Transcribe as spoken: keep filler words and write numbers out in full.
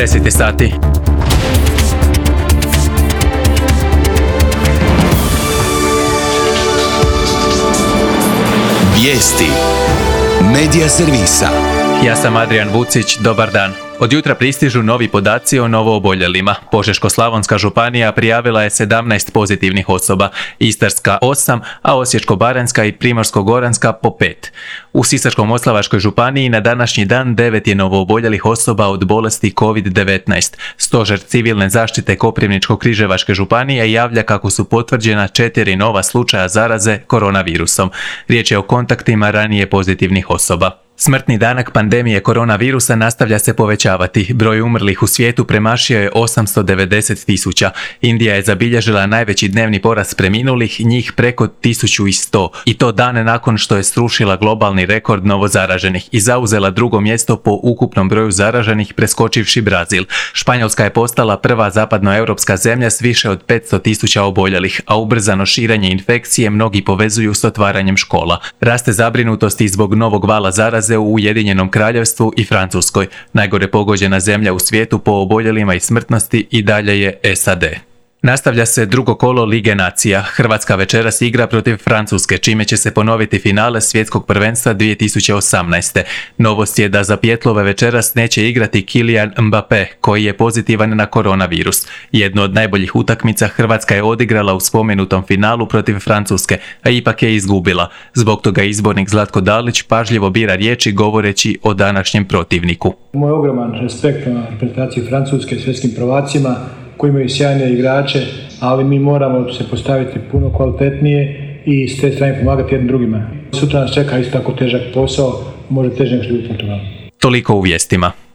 deset je sati. Vijesti Medija servisa. Ja sam Adrian Vucić, dobar dan. Od jutra pristižu novi podaci o novooboljelima. Požeško-slavonska županija prijavila je sedamnaest pozitivnih osoba, Istarska osam, a Osječko-baranjska i Primorsko-goranska po pet. U Sisačko-moslavačkoj županiji na današnji dan devet je novooboljelih osoba od bolesti kovid devetnaest. Stožer civilne zaštite Koprivničko-križevačke županije javlja kako su potvrđena četiri nova slučaja zaraze koronavirusom. Riječ je o kontaktima ranije pozitivnih osoba. Smrtni danak pandemije koronavirusa nastavlja se povećavati. Broj umrlih u svijetu premašio je osamsto devedeset tisuća. Indija je zabilježila najveći dnevni porast preminulih, njih preko tisuću sto. I to dane nakon što je srušila globalni rekord novozaraženih i zauzela drugo mjesto po ukupnom broju zaraženih, preskočivši Brazil. Španjolska je postala prva zapadnoeuropska zemlja s više od petsto tisuća oboljelih, a ubrzano širenje infekcije mnogi povezuju s otvaranjem škola. Raste zabrinutost i zbog novog vala zaraze u Ujedinjenom Kraljevstvu i Francuskoj. Najgore pogođena zemlja u svijetu po oboljelima i smrtnosti i dalje je S A D. Nastavlja se drugo kolo Lige nacija. Hrvatska večeras igra protiv Francuske, čime će se ponoviti finale svjetskog prvenstva dvije tisuće osamnaeste. Novost je da za Pjetlove večeras neće igrati Kylian Mbappé, koji je pozitivan na koronavirus. Jednu od najboljih utakmica Hrvatska je odigrala u spomenutom finalu protiv Francuske, a ipak je izgubila. Zbog toga izbornik Zlatko Dalić pažljivo bira riječi govoreći o današnjem protivniku. Moj ogroman respekt na reprezentaciji Francuske, svjetskim prvacima, koji imaju sjajne igrače, ali mi moramo se postaviti puno kvalitetnije i s te strane pomagati jednim drugima. Sutra nas čeka isto tako težak posao, može teže nego što je u Portugalu. Toliko u vijestima.